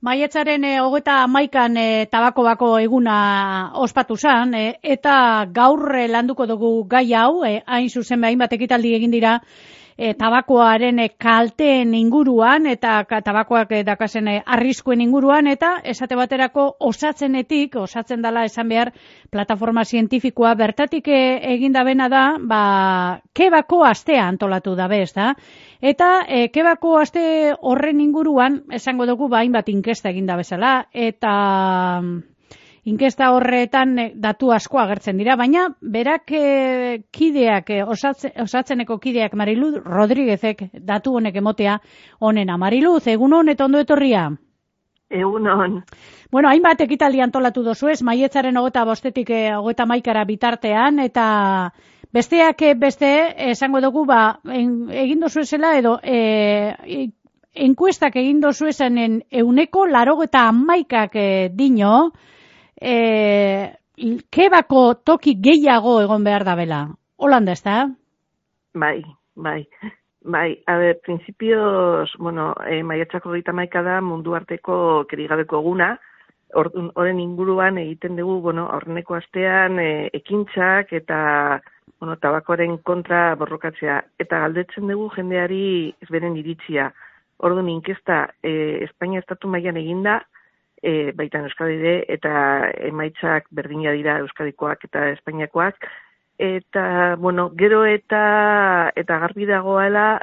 Maiatzaren 31an tabako bako eguna ospatu zen, eta gaur landuko dugu gai hau, hain zuzen hainbat ekitaldi egin dira tabakoaren kalteen inguruan eta tabakoak dakasen arriskuen inguruan, eta esate baterako osatzen dela esan behar plataforma zientifikoa bertatik egin dabena da, kebako astea antolatu dabe, ez da? Eta kebako aste horren inguruan esango dugu hainbat inkesta egin da bezala, eta inkesta horretan datu asko agertzen dira, baina berak kideak, osatzeneko kideak Mariluz Rodríguezek datu honek emotea honena. Mariluz, egunon eta ondo etorria? Egunon. Bueno, hainbat ekitaldi antolatu dozu ez, maiatzaren 25-tik 31 bitartean, eta besteak beste, esango dugu, egin dozu esela edo enkuestak egin dozu esanen 191 dino, kebako toki gehiago egon behar da bela. Holanda, ez da? Bai. A ver, principios, maiatzako 31 da mundu arteko kerigabeko eguna. Horren inguruan egiten dugu, aurreneko astean ekintzak eta tabakoaren kontra borrokatzea. Eta galdetzen dugu jendeari beren iritzia. Orduan inkesta Espainia estatu mailan eginda, baita Euskadi ere, eta emaitzak berdina dira Euskadikoak eta Espainiakoak. Eta, gero eta garbi dagoela,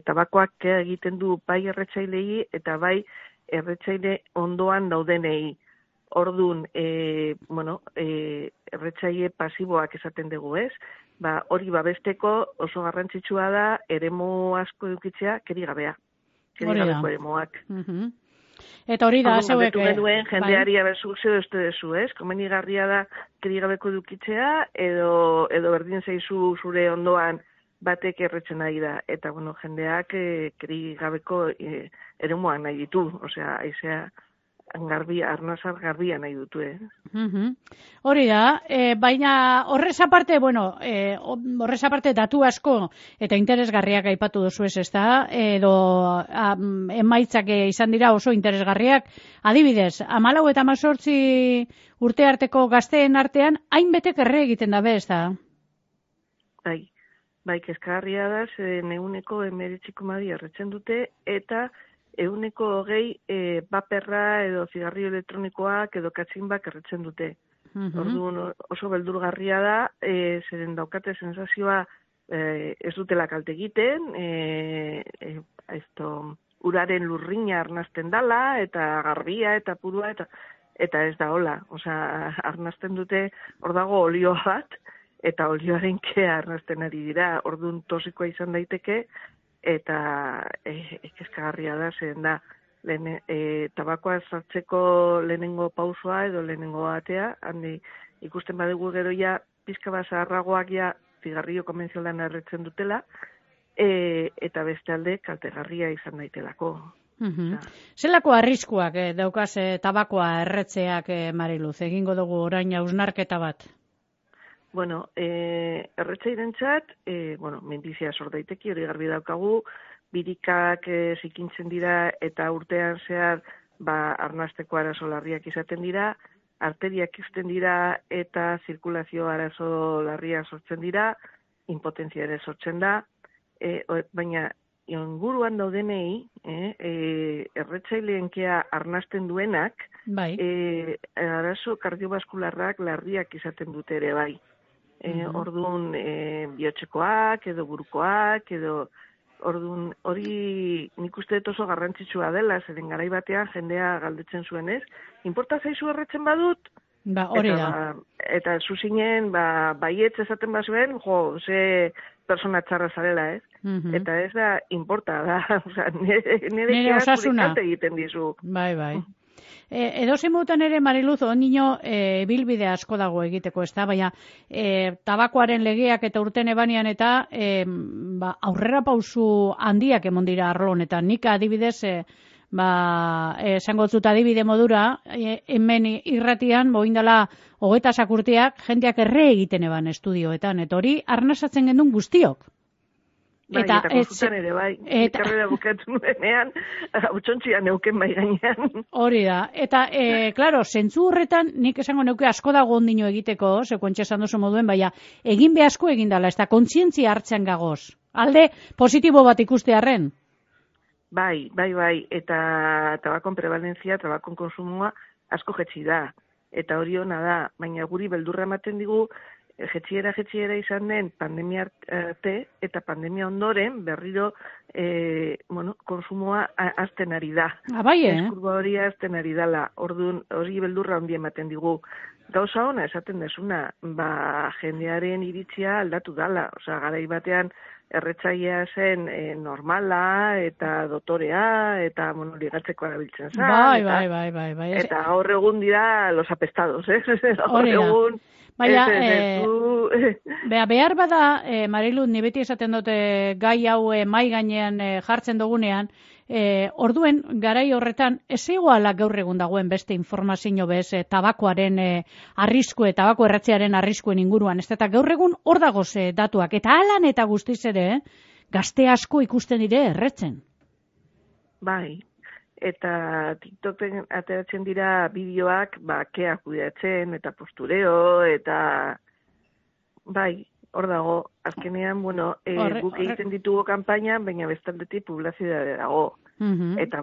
tabakoak egiten du bai erretzailei eta bai erretzaile ondoan daudenei. Orduan, erretzaile pasiboak esaten dugu, ez? Hori babesteko oso garrantzitsua da eremu asko edukitzea kerigabea. Kerigabeko eremuak. Eta hori da, zeuek... Duen jendeari aberzuk zeu dezu, ez? Komenigarria da kerigabeko edukitzea, edo berdin zaizu zure ondoan batek erretzen nahi da. Eta, jendeak kerigabeko eremuak nahi ditu, osea, aizea arnazar garbia nahi dutu, Hori da, baina horrez aparte datu asko eta interesgarriak aipatu duzu ez da, edo emaitzak izan dira oso interesgarriak, adibidez, 14 eta 18 urte arteko gazteen artean, hainbetek erre egiten dabe, ez da? Bai, kezkagarria da, 19% erretzen dute, eta 20% paperra edo zigarrio elektronikoak edo katzinbak erretzen dute. Orduan oso beldurgarria da, zeren daukate sensazioa ez dutela kalte egiten, uraren lurrina arnasten dala, eta garbia, eta purua, eta ez da hola. Osea, arnasten dute, hor dago olioa bat, eta olioaren kea arnasten ari dira. Orduan tosikoa izan daiteke, eta kezkagarria da, zen da, tabakoa sartzeko lehenengo pausoa edo lehenengo atea, handi ikusten badugu gero pizka bat zaharragoak zigarrio konbentzionalan erretzen dutela, eta beste alde kaltegarria izan daitelako. Zelako arriskuak daukaz tabakoa erretzeak, Mariluz, egingo dugu orain hausnarketa bat? Erretzairentzat, minbizia sor daiteke, hori garbi daukagu, birikak zikintzen dira eta urtean zehar arnasteko arazo larriak izaten dira, arteriak izten dira eta zirkulazio arazo larriak sortzen dira, impotentzia ere sortzen da, baina inguruan daudenei, erretzaileenkea arnasten duenak, arazo kardiobaskularrak larriak izaten dute ere bai. Orduan bihotzekoak edo burukoak edo orduan hori nik uste dut oso garrantzitsua dela, zeren garai batean jendea galdetzen zuen, ez? Inporta zaizu erretzen badut? Hori da. Eta zuzinen baietz esaten bazuen, ze persona txarra zarela, ez? Eta ez da inporta da, nire osasuna egiten dizu. Bai. Edozein modutan ere, Mariluz, ondino bilbide asko dago egiteko, ez da, baina tabakoaren legeak eta urten ebanian eta aurrera pausu handiak emon dira arlo honetan. Nik adibidez, esango dut adibide modura, hemen irratian, boindala 20 urteak, jendeak erre egiten eban estudioetan, eta hori arnasatzen gendun guztiok. Bai, eta konsultan ere, bai. Karrera bukatu nuenean, hautsontzian neuken bai gainean. Hori da. Eta, klaro, zentzu horretan, nik esango neuke asko dago ondino egiteko, sekuentxe esan duzu moduen, baina, egin behazko egin dala, ez da kontzientzia hartzen gagoz. Alde positibo bat ikustearren. Bai, eta tabakon prevalentzia, tabakon konsumoa asko jetzi da. Eta hori hona da, baina guri beldurra ematen digu, jetxiera izan den pandemia arte eta pandemia ondoren berriro konsumoa azten ari da. Bai, Eskurba hori azten ari dala. Orduan hori beldurra handi ematen digu. Gauza ona esaten desuna, jendearen iritzia aldatu dala. Osea, garai batean erretzailea zen normala eta dotorea eta ligatzeko erabiltzen zen. Bai. Eta gaur egun dira los apestados, Gaur egun baina, behar bada, Marilu, ni beti esaten dute gai hau mai gainean jartzen dugunean, orduen, garai horretan, ez egoala gaur egun dagoen beste informazio bez, tabakoaren arriskue, tabako erratzearen arriskuen inguruan, ez eta gaur egun hor dagoz datuak, eta alan eta guztiz ere, gazte asko ikusten dire erretzen. Bai. Eta TikToken ateratzen dira bideoak, kea kudeatzen, eta postureo, eta bai, hor dago, azkenean, guk egiten ditugu kanpaina, baina bestaldetik publizidadea dago. Eta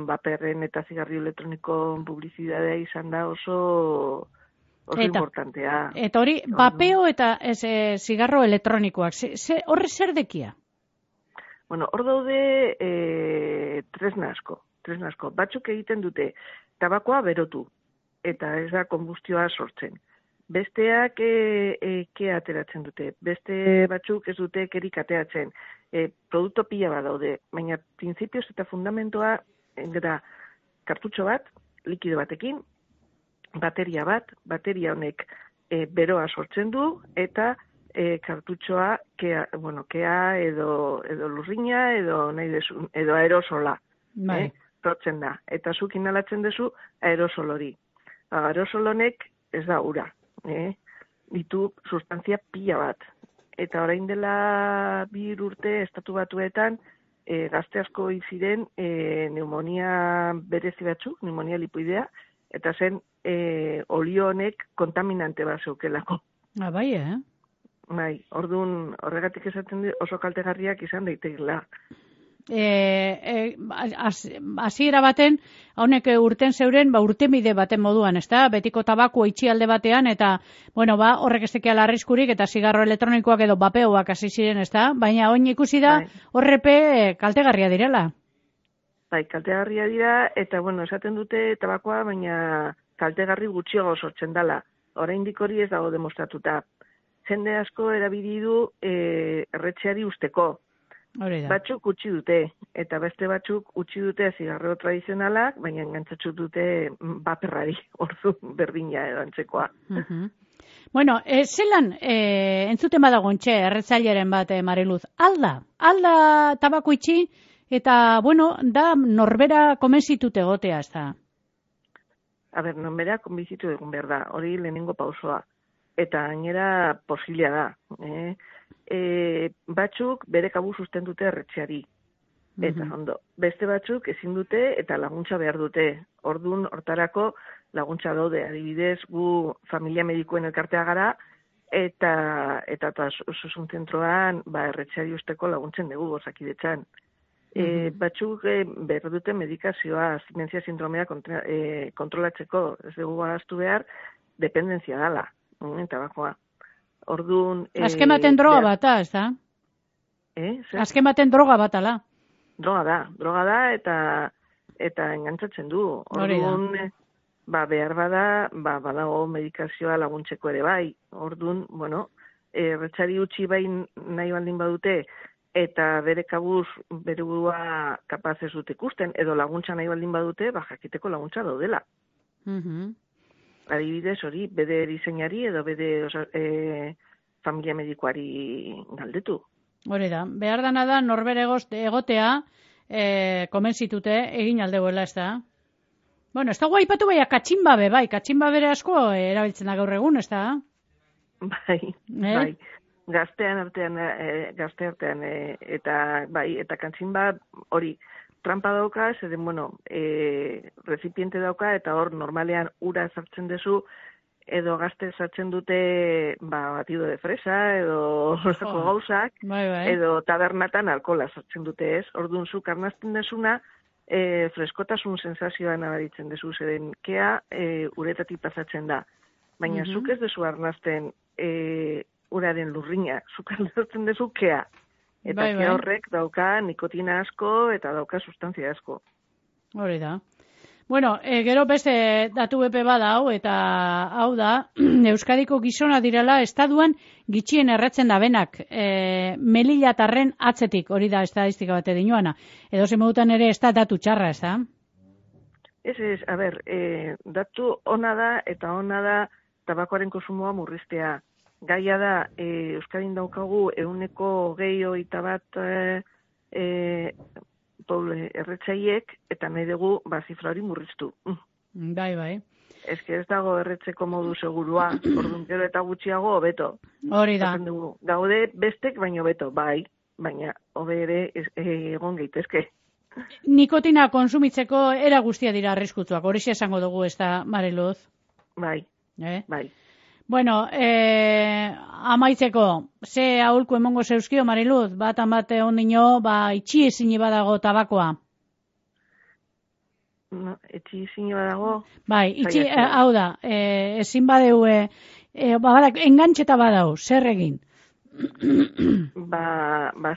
baperren eta zigarri elektroniko publizidadea izan da oso importantea. Eta hori, bapeo eta zigarro elektronikoak, horre zer dekia? Hor daude tresna asko. Batzuk egiten dute tabakoa berotu, eta ez da konbustioa sortzen. Besteak kea ateratzen dute, beste batzuk ez dute kerik ateratzen. Produkto pila bat daude, baina printzipioz eta fundamentoa da kartutxo bat, likido batekin, bateria honek beroa sortzen du, eta kartutxoa kea edo lurrina edo aerosola. Sortzen da, eta zuk inhalatzen duzu aerosol hori. Aerosol honek ez da ura, ditu sustantzia pila bat. Eta orain dela 2 urte estatu batuetan gazte asko ziren pneumonia berezi batzuk, pneumonia lipoidea, eta zen olio honek kontaminante bat zeukelako. Bai, Bai, orduan horregatik esaten oso kaltegarriak izan daitekela. Hasiera baten, honek urten zeuren, urtemide baten moduan, ezta? Betiko tabako itxialde batean, eta, horrek ez tekiala arriskurik, eta zigarro elektronikoak edo bapeoak hasi ziren, ezta? Baina oin ikusi da, horrepe kaltegarria direla. Bai, kaltegarria dira, eta, esaten dute tabakoa, baina kaltegarri gutxiago sortzen dela. Oraindik hori ez dago demostratuta. Jende asko erabili du erretzeari usteko. Batzuk utzi dute, eta beste batzuk utzi dute zigarro tradizionalak, baina engantzatzu dute baperrari, ordu berdina edo antzekoa. Zelan, entzuten badagontxe, erretzaileren bat, Mariluz, alda tabako itxi, eta, da norbera konbentzitute egotea, ez da? Norbera konbentzitu egun behar da, hori lehenengo pausoa, eta gainera posiblea da, batzuk bere kabuz usten dute erretxeari. Eta beste batzuk ezin dute eta laguntza behar dute. Ordun hortarako laguntza daude. Adibidez, gu familia medikuen elkartea gara eta osasun zentroan erretxeari usteko laguntzen dugu Osakidetzan. Batzuk behar dute medikazioa, abstinentzia sindromea kontrolatzeko. Ez dugu ahaztu behar, dependentzia dala, tabakoa. Orduan... Azken baten droga bata, ez da? Azken baten droga batala. Droga da eta engantzatzen du. Orduan, behar badago medikazioa laguntzeko ere bai. Orduan, erretxari utzi bai nahi baldin badute, eta bere kabuz bere burua kapaz ez dute ikusten, edo laguntza nahi baldin badute, jakiteko laguntza daudela. Adibidez hori, bede diseinari edo bede familia medikoari galdetu. Hori da, behar dana da norbere egotea konbentzitute egin aldeuela, ez da? Ez da guaipatu bai, katxinbabe, katxinbabere asko erabiltzen da gaur egun, ez da? Bai. gazte artean, eta bai, eta kantzin bat hori trampa dauka, zeden, bueno, rezipiente dauka, eta hor normalean ura sartzen dezu, edo gazte sartzen dute, batido de fresa, edo horreko gauzak, edo tabernatan alkola sartzen dute, ez? Orduan zuk arnazten desuna, freskotasun sensazioa nabaritzen dezu, zeden kea uretatik pasatzen da. Baina zuk ez dezu arnazten uraren lurrina, zuk arnazten dezu kea. Eta kea horrek dauka nikotina asko eta dauka sustantzia asko. Hori da. Bueno, gero beste datu bepe bada hau, eta hau da, Euskadiko gizona direla estatuan gitxien erretzen da benak, melilatarren atzetik, hori da estadistika bate dinoana. Edo zemodutan ere ez da datu txarra, ez da? Ez, a ber, datu ona da, eta ona da tabakoaren konsumoa murriztea. Gaia da, Euskadin daukagu 20% erretzaiek, eta nahi dugu zifra hori murriztu. Bai. Ez dago erretzeko modu segurua, orduan gero eta gutxiago hobeto. Hori da. Gaude bestek baino beto, bai, baina hobe ere egon gaitezke. Nikotina konsumitzeko era guztia dira arriskutsuak, hori esango dugu, ez da, Mariluz? Bai, bai. Bueno, amaitzeko, ze aholku emongo zeuzkio, Mariluz? Bat ondino, itxi ezin badago tabakoa. No, etxi ezin badago? Bai, itxi, hau da, ezin badeu, engantxeta badau, zer egin?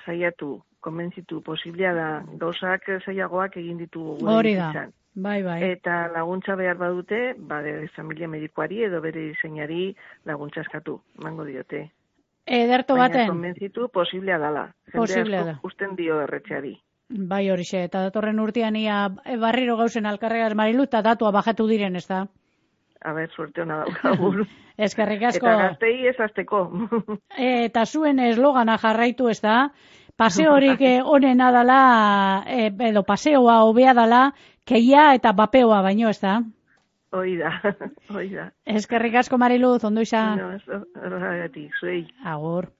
Saiatu, konbentzitu, posiblea da, gauzak zailagoak egin ditugu. Hori da. Bai. Eta laguntza behar badute, bere familia medikoari edo bere diseinari laguntza eskatu, mango diote. Ederto baten? Baina konbentzitu posiblea dala. Posiblea da. Usten dio erretxeari. Bai horixe, eta datorren urtean ia barriro gauzen alkarregaz Marilu, eta datua bajatu diren, ez da? A ber, suerte hona daukagun. Eskerrik asko. Eta gaztei ez azteko. Eta zuen eslogana jarraitu, ez da? Paseorik onena dala, edo paseoa hobea dala, keia eta bapeoa baino, ez da? Hoi da. Eskerrik asko, Mariluz, ondo izan. No, ez horregatik, zuei. Agur.